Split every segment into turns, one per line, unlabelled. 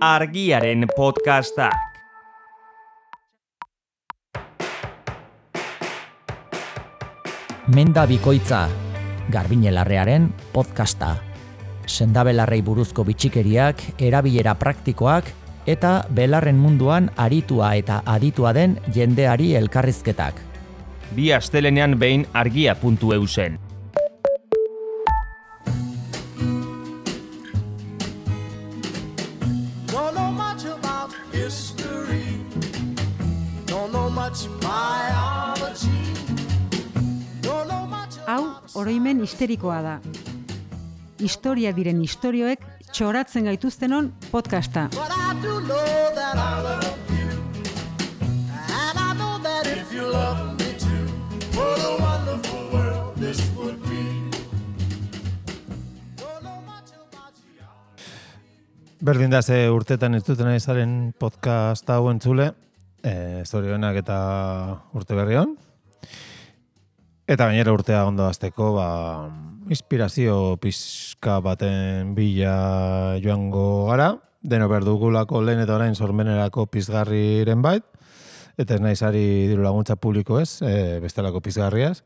Argiaren podcastak.
Menda bikoitza, Garbiñe Larrearen podcasta. Sendabelarrei buruzko bitxikeriak, erabilera praktikoak eta belarren munduan aritua eta aditua den jendeari elkarrizketak.
Bi astelenean behin argia.eu zen.
Hau, oroimen histerikoa da. Historia diren istorioek txoratzen gaituztenon podcasta.
Berdin da ze urtetan ez duten izaren podcast hau entzule, zorionak eta urte berri on. Eta gainera urtea ondo hasteko, inspirazio pizka baten bila joango gara, deno berdugulako lehen eta orain sormenerako pizgarriren bait, eta ez naizari diru laguntza publiko ez, bestelako pizgarriaz,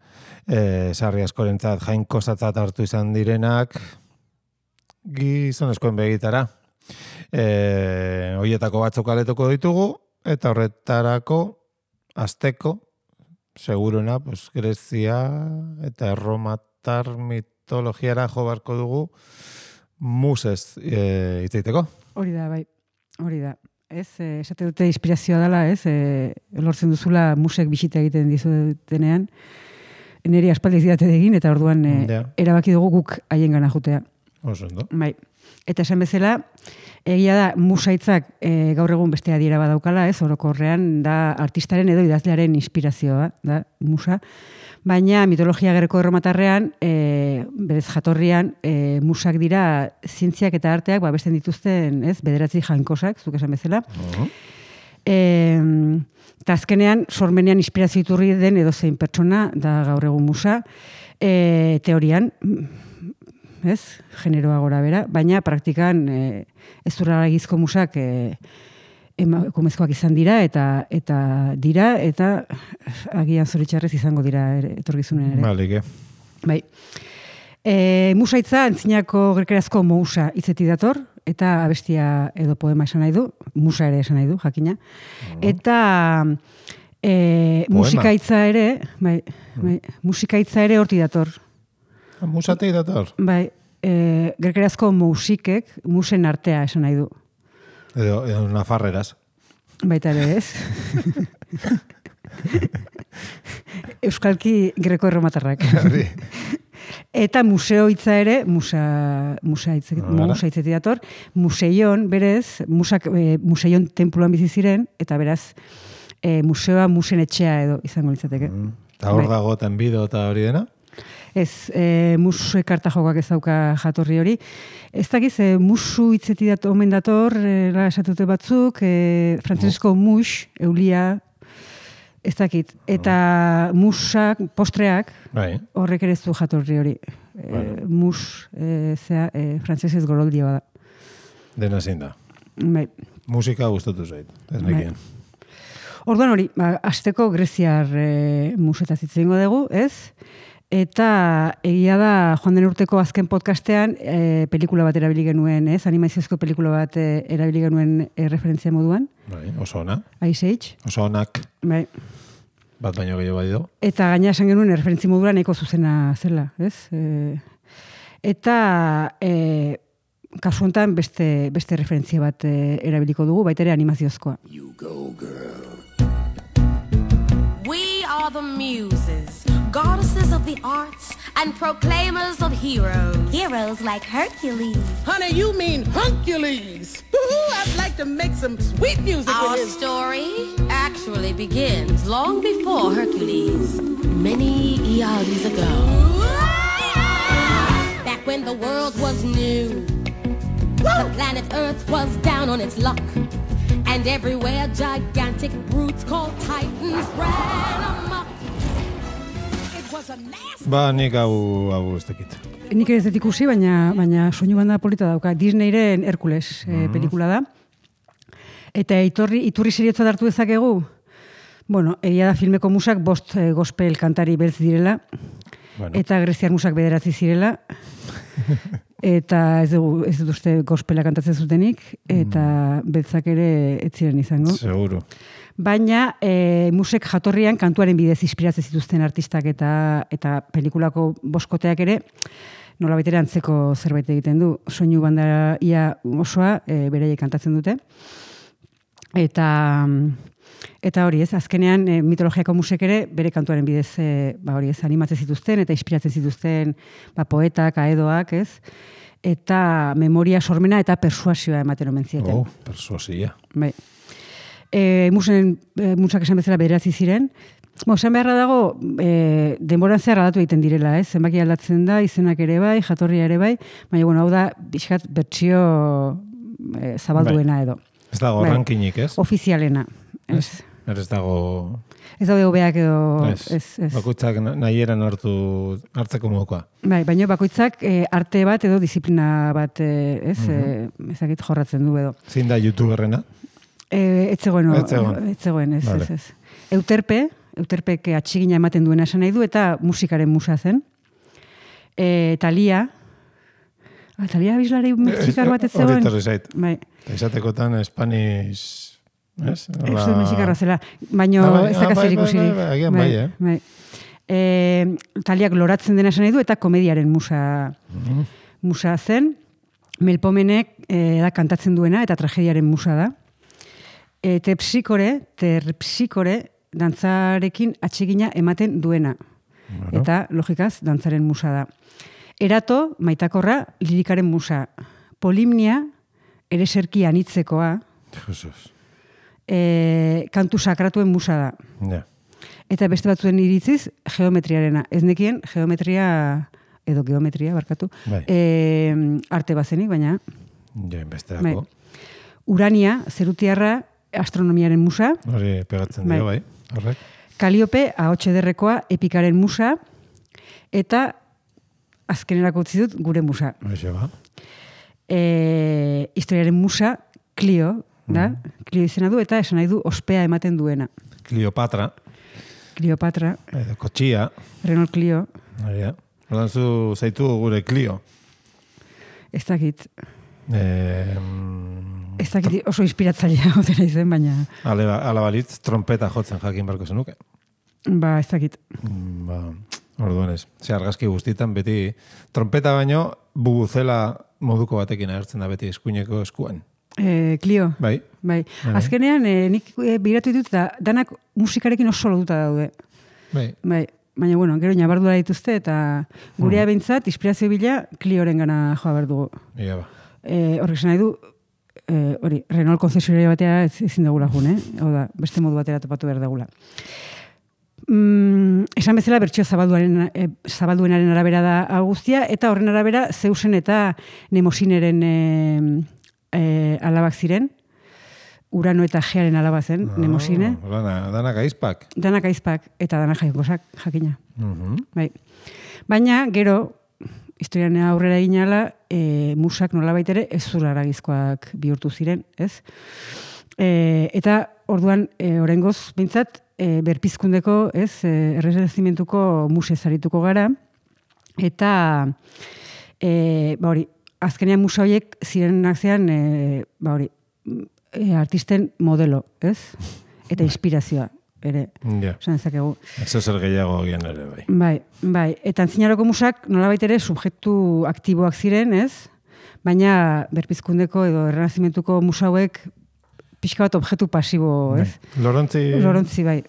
sarri askorentzat jainkosatzat hartu izan direnak gizonezkoen begitara. Hoietako batzuk aletuko ditugu, eta horretarako hasteko seguruna, Grezia eta Erromatar mitologiara jo beharko dugu musez hitzeiteko.
Hori da, bai. Hori da. Ez, esate dute inspirazioa dela, ez, lortzen duzula musek bisita egiten dizutenean, niri aspaldi zidate egin, eta orduan erabaki dugu guk haien gana jutea.
Oso ondo.
Bai. Eta esan bezala, egia da musaitzak gaur egun beste adiera badaukala, ez, orokorrean da artistaren edo idazlearen inspirazioa da musa, baina mitologia greko erromatarrean, berez jatorrian, musak dira zientziak eta arteak besten dituzten, ez, bederatzi jainkosak, zuk esan bezala. Eta azkenean, sormenean inspirazio iturri den edozein pertsona da gaur egun musa, teorian, ez, generoa gora bera, baina praktikan ez duraragizko musak emakumezkoak izan dira eta agian zoritxarrez izango dira etorkizunen ere.
Balike.
Bai. Musaitza antzinako grekerazko mousa hitzetik dator, eta abestia edo poema esan nahi du, musa ere esan nahi du, jakina. Eta musikaitza ere hortik dator.
Musatik dator?
Bai, grekerazko mousikek musen artea esan nahi du.
Edo nafarreraz.
Baita ere, ez? Euskalki greko erromatarrak. Eta museo hitza ere, musa hitzetik dator, museion, berez, museion tenpluan bizi ziren, eta beraz, museoa musen etxea edo izango litzateke.
Eta hor dago tenbido eta hori dena?
Ez, musu ekarta jokak ez dauka jatorri hori. Ez dakiz, musu hitzetik omen dator, esatute batzuk, frantzesko mus, eulia, ez dakit. Eta musak, postreak, horrek ere ez du jatorri hori. Mus, frantzesez goroldio da.
Dena zein da.
Bai.
Musika gustatu zait, ez nekien.
Orduan hori, hasteko greziar musetaz hitz egingo dugu, ez? Eta egia da, joan den urteko azken podcastean, pelikula bat erabili genuen, ez? Animaziozko pelikula bat erabili genuen referentzia moduan.
Bai, oso ona.
Ice Age.
Oso onak.
Bai.
Bat baino gehiago badido.
Eta gaina esan genuen referentzia moduan nahiko zuzena zela, ez? Eta kasu honetan beste referentzia bat erabiliko dugu, baita ere animaziozkoa.
You go, girl. We are the muses, goddesses of the arts and proclaimers of heroes.
Heroes like Hercules.
Honey, you mean Huncules. I'd like to make some sweet music
Our
with his...
story actually begins long before Hercules, many eons ago. Back when the world was new, the planet Earth was down on its luck. And everywhere gigantic brutes called titans ran amok. It was a nasty...
Nik hau ez dakit.
Nik ez dut ikusi, baina soinu banda polita dauka. Disneyren Herkules pelikula da. Eta iturri seriotzat hartu dezakegu? Bueno, egia da filmeko musak 5 gospel kantari beltz direla, eta greziar musak 9 zirela, eta ez dut uste gospela kantatzen zutenik, eta beltzak ere ez ziren izango.
Seguro.
Baina musek jatorrian kantuaren bidez inspiratzen zituzten artistak eta pelikulako boskoteak ere, nolabait ere antzeko zerbait egiten du. Soinu banda ia osoa beraiek kantatzen dute. Eta hori ez, azkenean mitologiako musek ere bere kantuaren bidez hori ez, animatzen zituzten eta inspiratzen zituzten poetak, aedoak, ez? Eta memoria sormena eta persuasioa ematen omen zieten.
Persuasia.
Bai. Musak esan bezala 9 ziren. Esan beharra dago, denboran zehar aldatu egiten direla, ez? Zenbaki aldatzen da, izenak ere bai, jatorria ere bai, baina hau da, bizkat bertsio zabalduena edo.
Ez dago rankinik, ez?
Ofizialena. Ez
dago...
Ez daude hobeak edo...
Ez. Bakoitzak nahieran hartzeko modukoa.
Bai, baina bakoitzak arte bat edo disiplina bat, ez? Ezakit jorratzen du edo.
Zein da youtuberrena?
Ez zegoen, ez. Euterpek atxigina ematen duena esan nahi du, eta musikaren musa zen. Talia bizlari mexikar bat ez zegoen.
Hori torri zait.
Bai.
Esatekotan Spanish... Ez
zuen mexikarra zela, baina ez dakazer ikusirik.
Agian bai.
Taliak loratzen dena esan nahi du, eta komediaren musa zen. Melpomenek da kantatzen duena, eta tragediaren musa da. Terpsikore, dantzarekin atxigina ematen duena. Eta, logikaz, dantzaren musa da. Erato, maitakorra, lirikaren musa. Polimnia, ere serki anitzekoa.
Jesus.
Kantu sakratuen musa da.
Ja.
Eta beste batzuen iritziz, geometriarena. Ez nekien, geometria, edo geometria, barkatu, arte bazenik, baina...
Ja, besteako.
Urania, zerutiarra, astronomiaren musa.
Hori pegatzen dio, bai. Horrek.
Kaliope, ahotxe derrekoa, epikaren musa, eta azkenerako utzi dut gure musa.
Hoxe ba.
Historiaren musa, Clio, da? Clio izena du, eta esan nahi du ospea ematen duena.
Cleopatra. Kotxia.
Renault Clio.
Hortan zu zaitu gure Clio.
Ez dakit. Ez dakit oso inspiratzailea gotera izen, baina...
Ala balitz, trompeta jotzen jakin barko zenuke.
Ba, ez dakit.
Orduan ez. Argazki guztietan beti trompeta baino bubuzela moduko batekin agertzen da beti eskuineko eskuan.
Clio.
Bai.
Azkenean, nik biratu ditut eta danak musikarekin oso lotuta daude.
Bai.
Baina, bueno, gero nabardura dituzte eta gurea behintzat, inspirazio bila, Clioren gana joa behar dugu.
Ia ba.
Horrek esan nahi du, Renault konzesionaria batea ezin dugula jun, Hau da, beste modu batera topatu behar dugula. Esan bezala, bertsio zabalduenaren arabera da guztia, eta horren arabera Zeusen eta Nemosineren alabak ziren, Urano eta Gearen alaba zen, Nemosine.
Danak aizpak.
Danak aizpak, eta danak jaikosak, jakina. Bai. Baina, gero, historian aurrera eginala, musak nolabait ere ez zuraragizkoak bihurtu ziren, ez? Eta orduan, oraingoz bintzat, berpizkundeko, ez, errezimentuko musez arituko gara, eta, hori, azkenean musa horiek zirenak zean, artisten modelo, ez? Eta inspirazioa, ere.
Ja.
Esan ezakegu.
Ez zer gehiago gian ere, bai.
Bai. Eta antzinaroko musak nolabait ere subjektu aktiboak ziren, ez? Baina berpizkundeko edo errenazimentuko musa hauek pixka bat objektu pasibo, ez? Lorontzi, bai.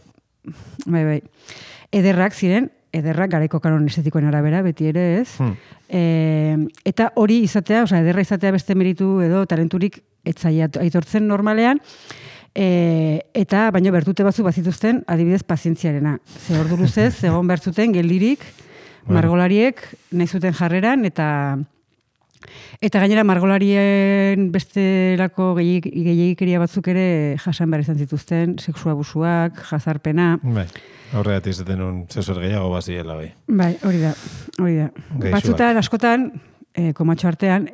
Ederrak ziren, garaiko kanon estetikoen arabera, beti ere, ez? Eta hori izatea, ederra izatea beste meritu edo talenturik etzaia aitortzen normalean, eta baina bertute batzuk bazituzten adibidez pazientziarena. Ze ordu luzez, egon bertzuten geldirik, margolariek nahi zuten jarreran, eta gainera margolarien bestelako gehiagikeria batzuk ere jasan behar izan zituzten, sexu abusuak, jazarpena.
Bai, horregat izaten un zesor gehiago baziela, bai.
Bai, hori da. Batzutan, askotan, komatxo artean,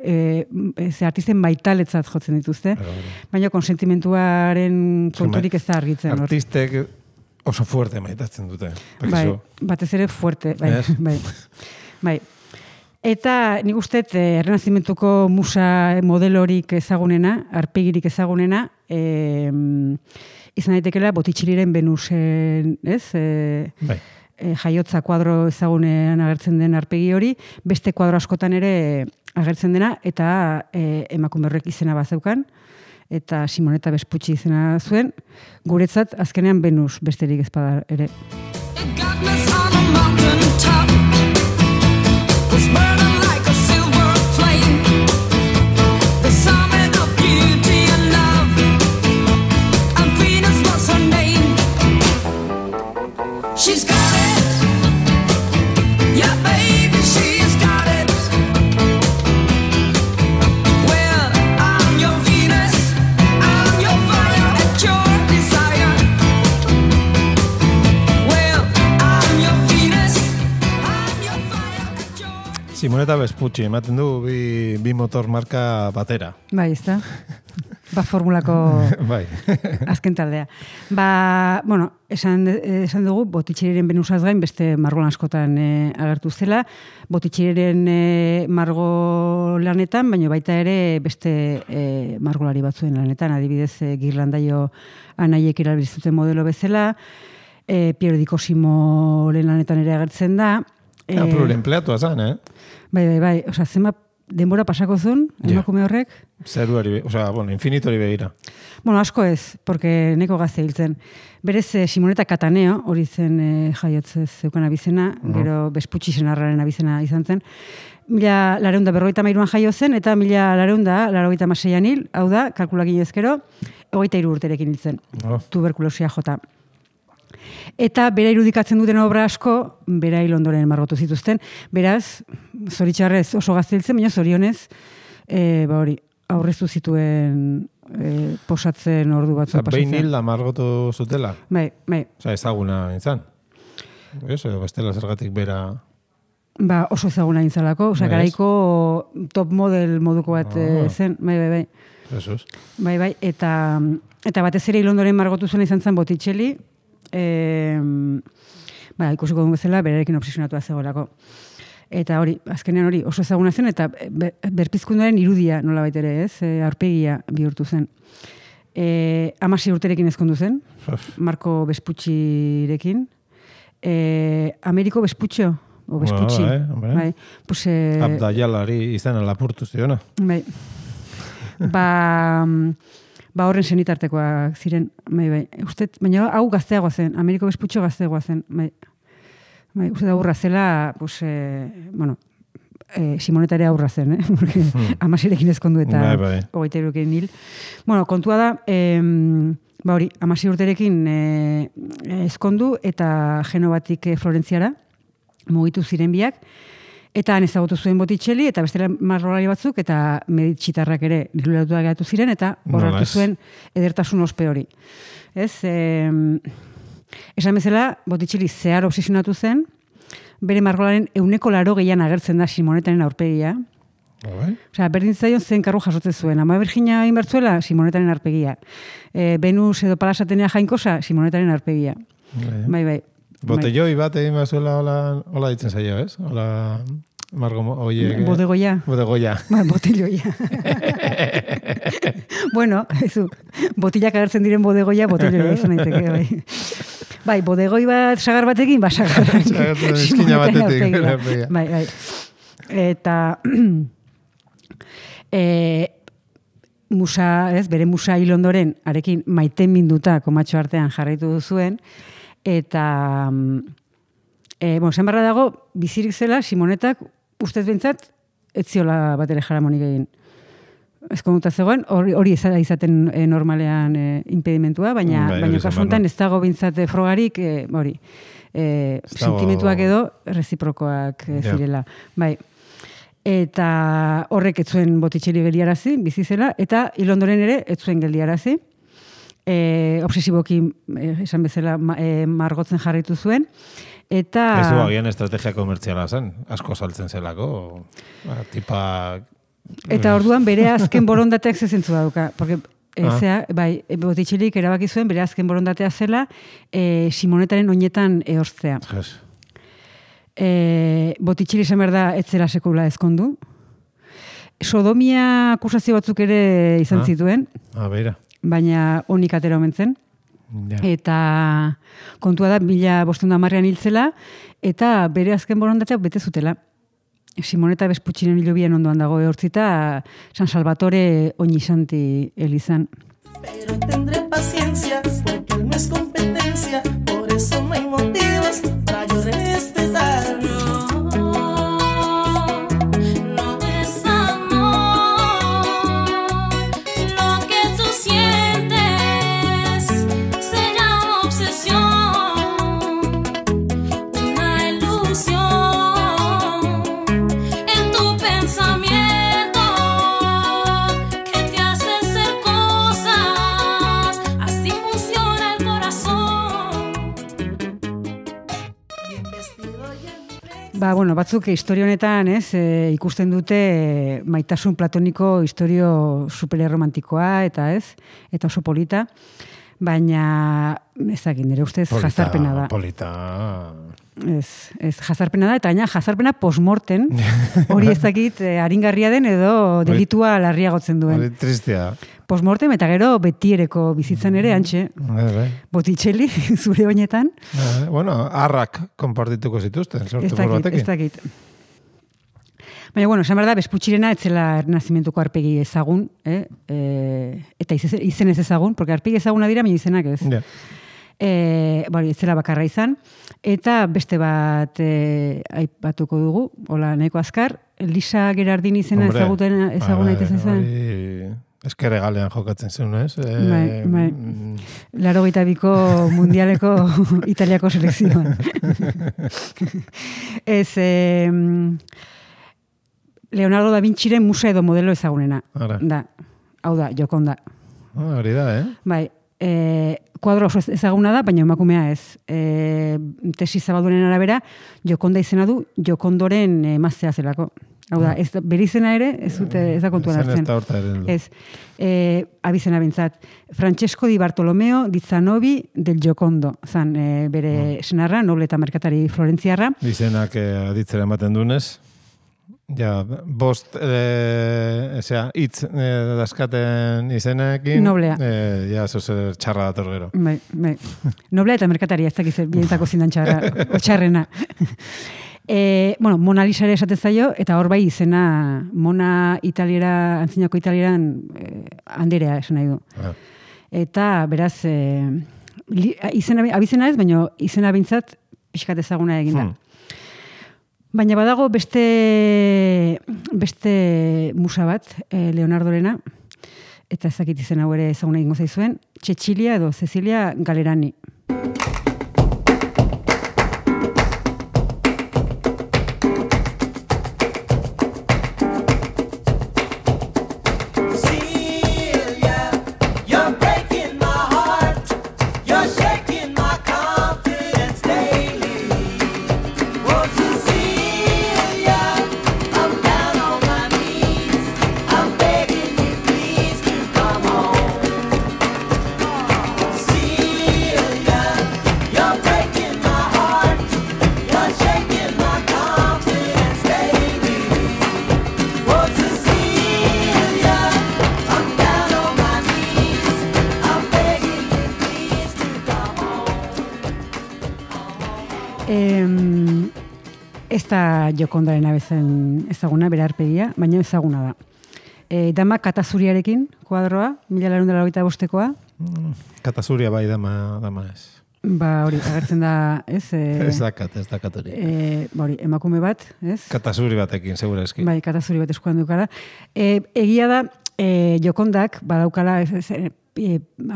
ze artisten baitaletzat jotzen dituzte, baina konsentimentuaren konturik ez da argitzen.
Artistek oso fuerte maitatzen dute.
Bai, batez ere fuerte. Bai. Eta nik uste errenazimentuko musa modelorik ezagunena, arpegirik ezagunena, izan daitekela Botticelliren Venusen, ez? Jaiotza kuadro ezagunean agertzen den arpegi hori, beste kuadro askotan ere agertzen dena, eta emakume horrek izena bazeukan, eta Simonetta Vespucci izena zuen, guretzat azkenean Venus besterik ezpada ere.
She's got it. Yeah, baby, she's got it. Well, I'm your Venus. I'm your fire at your desire. Well, I'm your Venus. I'm your fire at your...
Simonetta Vespucci, ematen du bi motor marka batera.
Bai, ez da? Formulako azken taldea. Bueno, esan dugu, Botticelliren Venusaz gain beste margolan askotan agertu zela. Botticelliren margo lanetan, baina baita ere beste margolari batzuen lanetan. Adibidez, Ghirlandaio anaiek erabiltzuten modelo bezala, Piero di Cosimoren lanetan ere agertzen da.
Pluriempleatua zan,
Bai. Osa, zema denbora pasako zuen, emakume horrek?
Zeruari, infinitori begira.
Asko ez, porque neko gazte hiltzen. Berez, Simonetta Cataneo, hori zen jaiotzez zeukan abizena, gero Vespucci senarraren abizena izan zen. 1953an jaio zen, eta 1986an hil, hau da, kalkulakin ezkero, 23 urterekin hiltzen. Tuberkulosia jota. Eta bera irudikatzen duten obra asko, bera hil ondoren margotu zituzten. Beraz, zoritxarrez oso gazteltzen, baina zorionez, aurreztu zituen posatzen ordu batzuk pasatzen.
Behin hilda margotu zutela?
Bai.
Ezaguna nintzen. Edo bestela zergatik bera...
Oso ezaguna nintzalako. Garaiko top model moduko bat zen. Bai.
Jesus.
Bai. Eta batez ere hil ondoren margotu zuen izan zen Botticelli, ikusiko duen bezala, berarekin obsesionatua zegoelako. Eta azkenean oso ezaguna zen, eta berpizkunduaren irudia nola baitere, ez? Aurpegia bihurtu zen. 16 urterekin ezkondu zen, Marco Vespuccirekin. Ameriko Vespuccio, o Vespucci.
Bai. Abdaialari izan lapurtu ziona.
Bai. Horren senitartekoak ziren, bai. Baina hau gazteagoa zen, Ameriko Vespuccio gazteagoa zen, bai. Uste da aurra zela, Simonetta ere aurra zen, porque 16ekin ezkondu eta 23ekin hil. Kontua da, 16 urterekin ezkondu eta Genovatik Florentziara mugitu ziren biak, eta han ezagutu zuen Botticelli, eta bestela margolari batzuk, eta meditxitarrak ere liluratuak geratu ziren, eta horratu zuen edertasun ospe hori. Esan bezala, Botticelli zehar obsesionatu zen, bere margolaren 180 agertzen da Simonettaren aurpegia. Berdin zaion zen karru jasotzen zuen. Ama Virginia egin bertzuela, Simonettaren aurpegia. Venus edo Palasatenea jainkosa, Simonettaren aurpegia. Bai.
Botelloi bat egin bazuela hola ditzen zaio, ez? Hola...
Bodegoia. Botelloia. Botillak agertzen diren bodegoia, botelloia izan daiteke, bai, bodegoi bat sagar batekin, sagar.
Eskina batetik.
Bai. Eta musa, bere musa hil ondoren, arekin maiten minduta komatxo artean jarraitu duzuen, eta zen barra dago, bizirik zela, Simonettak ustez bintzat, etziola bat ere jaramonik egin. Ezkonduta zegoen, hori izaten normalean impedimentua, baina kasuntan ez dago bintzat frogarik, sentimentuak edo reziprokoak zirela. Bai. Eta horrek etzuen Botticelli geldiarazi, bizi zela, eta hil ondoren ere etzuen geldiarazi. Obsesiboki, esan bezala, margotzen jarraitu zuen. Eta...
Ez du agian estrategia komertziala zen, asko saltzen zelako, tipak...
Eta orduan bere azken borondateak zezentzu dauka, porque bai, Botticellik erabaki zuen bere azken borondatea zela Simonetaren oinetan ehorztea.
Yes.
Botticelli esan behar da etzera sekula ezkondu. Sodomia akusazio batzuk ere izan zituen,
Beira.
baina onik atera omen zen.
Ja.
Eta kontua da 1510 hiltzela eta bere azken borondateak bete zutela. Simoneta Vespuccinen hilobian ondoan dago ehortzita San Salvatore Ognissanti elizan.
Pero tendré paciencia porque él no es competencia, por eso no hay motivos para yo respetarlo.
Bueno, batzuk historia honetan, ikusten dute maitasun platoniko historio supererromantikoa eta eta oso polita, baina ezagin, nire ustez jazarpena da.
Polita.
Ez jazarpena da, eta gaina jazarpena postmorten, hori ezakit aringarria den edo delitua larriagotzen duen.
Hori tristea.
Postmortem eta gero betiereko bizitzan ere, antxe. Botticelli, zure oinetan.
Bueno, arrak konpartituko zituzten, sortu batekin.
Ez dakit. Baina, esan behar da, Vespuccirena etzela ernazimentuko arpegi ezagun, eta izen ez ezagun, porque arpegi ezaguna dira, baina izenak ez.
Ja.
Ez zela bakarra izan, eta beste bat aipatuko dugu, hola, nahiko azkar, Lisa Gerardin izena ezaguna itezen zen.
Eskere galean jokatzen zen, ez?
Bai. 82ko mundialeko Italiako selekzioan. Leonardo da Vinciren musa edo modelo ezagunena. Da. Hau da, Jokonda.
Hori da,
Bai. Kuadro oso ezaguna da, baina emakumea ez. Tesi zabaldunen arabera, Jokonda izena du Jokondoren emaztea zelako. Hau da, bere izena ere, ez da kontuan hartzen.
Ez da horta ere.
Ez, abizena bintzat. Francesco di Bartolomeo di Zanobi del Giocondo. Zan, bere senarra, noble eta merkatari florentziarra.
Izenak aditzera ematen dunez. Ja, bost, hitz daskaten izenekin.
Noblea.
Ja, zozer txarra dator gero.
Bai. Noblea eta merkatari, ez dakiz, bientako zindan txarra, otxarrena. Mona Lisa ere esaten zaio, eta hor bai izena Mona Italiera, antzinako Italieran handerea esan nahi du. Eta beraz, abizena ez, baina izena bintzat pixkat ezaguna egin da. Baina badago beste musa bat, Leonardorena, eta ezakit izen hau ere ezaguna egingo zaizuen, Cecilia edo Cecilia Galerani. Ez da Jokondaren abezen ezaguna, bere arpegia, baina ezaguna da. Dama Katazuriarekin, kuadroa, 1985koa.
Katazuria bai, dama ez.
Hori, agertzen da, ez?
Ez dakat hori.
Hori, emakume bat, ez?
Katazuri batekin, segura eski.
Bai, katazuri bat eskuan dukara. Egia da, Jokondak, badaukala,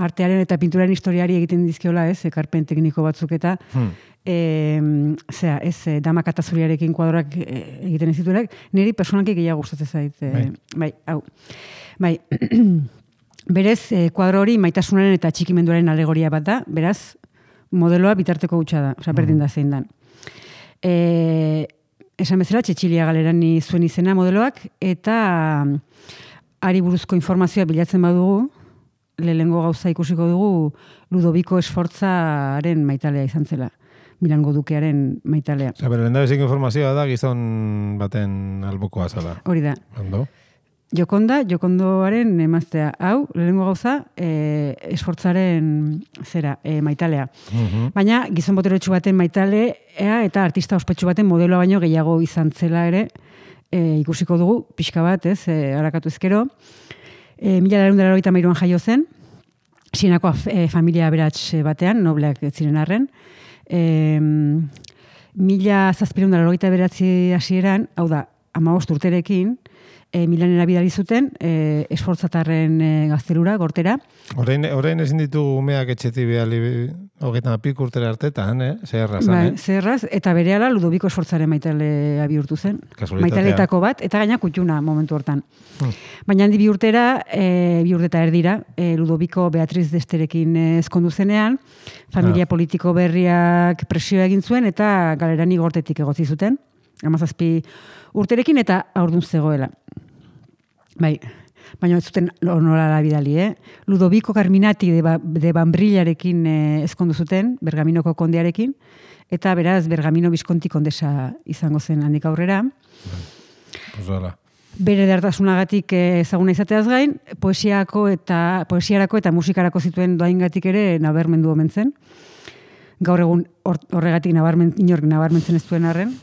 artearen eta pinturaren historiari egiten dizkiola, ez? Ekarpen tekniko batzuk eta... dama Katazuriarekin kuadroak egiten ez dituenak, niri personalki gehiago gustatzen zait. Bai. Berez, kuadro hori maitasunaren eta txikimenduaren alegoria bat da, beraz, modeloa bitarteko hutsa da, berdin da zein dan. Esan bezala, Txetxilia Galerani zuen izena modeloak, eta ari buruzko informazioa bilatzen badugu, lehenengo gauza ikusiko dugu Ludoviko Sforzaren maitalea izan zela. Milango dukearen maitalea.
Bere lehendabiziko informazioa da gizon baten albokoa zala.
Hori da.
Ondo.
Jokondoaren emaztea. Hau, lehenengo gauza, Sforzaren maitalea. Baina, gizon boterotxu baten maitalea eta artista ospetsu baten modeloa baino gehiago izan zela ere, ikusiko dugu, pixka bat, harakatu ezkero. 1993an jaio zen, Sienako familia aberats batean, nobleak ziren arren. 1789 hasieran, hau da, 15 urterekin, Milanera bidali zuten, Esfortzatarren gaztelura, gortera.
Orain ezin ditugu umeak etxeti bihali 25 urtera artetan, zeherraz.
Bai, zeherraz, eta berehala Ludoviko Esfortzaren maitalea bihurtu zen. Maitaletako bat, eta gaina kutxuna momentu hortan. Baina handi bi urteta erdira, Ludoviko Beatriz d'Esterekin ezkondu zenean, familia politiko berriak presioa egin zuen, eta Galerani gortetik egotzi zuten, 17 urterekin, eta aurdun zegoela. Bai, baina ez zuten honorara bidali, Ludoviko Carminati de Bambrillarekin ezkondu zuten, Bergaminoko kondearekin, eta beraz Bergamino Visconti kondesa izango zen handik aurrera. Bere edertasunagatik ezaguna izateaz gain, poesiarako eta musikarako zituen doaingatik ere nabarmendu omen zen. Gaur egun horregatik inork nabarmentzen ez duen arren.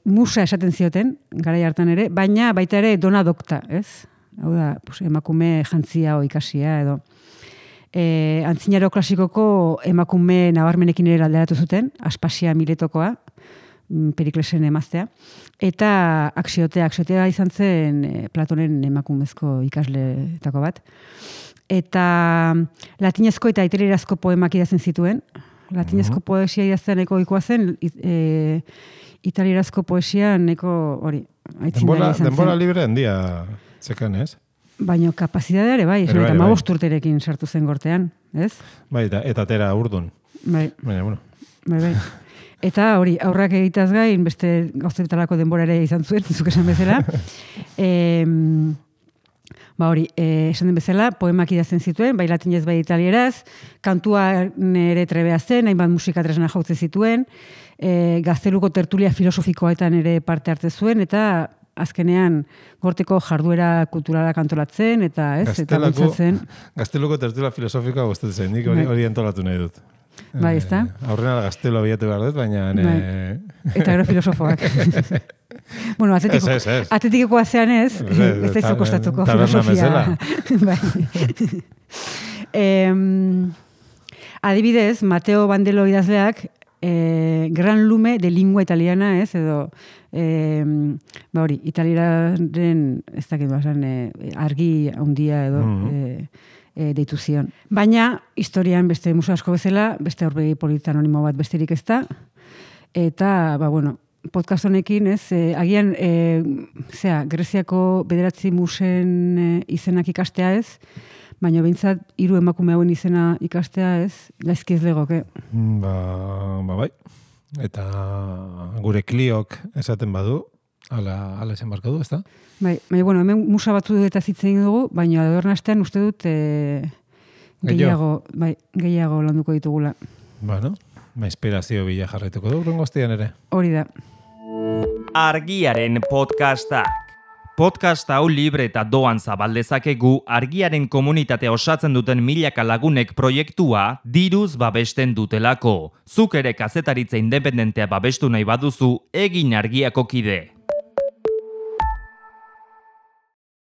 Musa esaten zioten, garai hartan ere, baina baita ere dona dokta, ez? Hau da, emakume jantzia o ikasia edo. Antzinaro klasikoko emakume nabarmenekin ere alderatu zuten, Aspasia Miletokoa, Periklesen emaztea, eta Aksiotea izan zen Platonen emakumezko ikasleetako bat. Eta latinezko eta italierazko poemak idazten zituen. Latinezko poesia idazten nahiko ohikoa zen, italierazko poesia nahiko hori.
Denbora libre handia zekan, ez?
Baina kapazitatea ere, bai, 15 urterekin sartu zen gortean, ez?
Bai, eta tera urdun.
Bai.
Baina, bueno.
Bai. Eta hori, aurrak egitaz gain, beste gauzetalako denbora ere izan zuen, zuk esan bezala. Hori, esan den bezala, poemak idazten zituen, bai latinez bai italieraz, kantua nere trebea zen, hainbat musika tresna jautzen zituen, gazteluko tertulia filosofikoetan ere parte hartze zuen, eta azkenean gorteko jarduera kulturalak antolatzen, eta eta bultzatzen.
Gazteluko tertulia filosofikoa gustatzen zen, nik hori antolatu nahi dut.
Bai, ez da?
Aurrena gaztelu abiatu behar dut, baina...
Eta gero filosofoak. Bueno, atletikeko azean ez da izu kostatuko filosofia. Adibidez, Mateo Bandelo idazleak Gran Lume de Lingua Italiana, ez, edo hori, italiaren ez dakit argi handia edo deitu zion. Baina, historian beste musu asko bezala, beste aurpegi politanonimo bat besterik ez da, eta, podcast honekin, ez, agian, Greziako 9 musen izenak ikastea ez, baina behintzat 3 emakume hauen izena ikastea ez, gaizki ez legoke.
Bai. Eta gure Kliok esaten badu, ala esan barko du, ez da?
Bai, hemen musa batzu eta zitzen dugu, baina adorna astean uste dut gehiago landuko ditugula.
Inspirazio bila jarraituko du, rungoztian ere.
Hori da.
Argiaren podcastak. Podcast hau libre eta doan zabaldezakegu Argiaren komunitatea osatzen duten milaka lagunek proiektua diruz babesten dutelako. Zuk ere kazetaritza independentea babestu nahi baduzu, egin Argiako kide.